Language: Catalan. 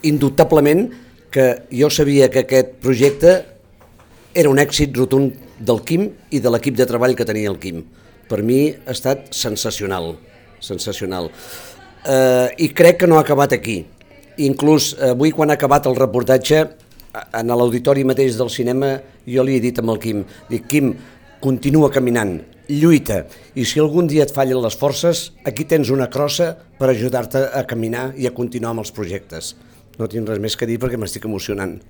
Indubtablement que jo sabia que aquest projecte era un èxit rotund del Quim i de l'equip de treball que tenia el Quim. Per mi ha estat sensacional, sensacional. I crec que no ha acabat aquí. Inclús avui, quan ha acabat el reportatge, en l'auditori mateix del cinema, jo li he dit amb el Quim, dic, Quim, continua caminant, lluita, i si algun dia et fallen les forces, aquí tens una crossa per ajudar-te a caminar i a continuar amb els projectes. No tinc res més que dir perquè m'estic emocionant.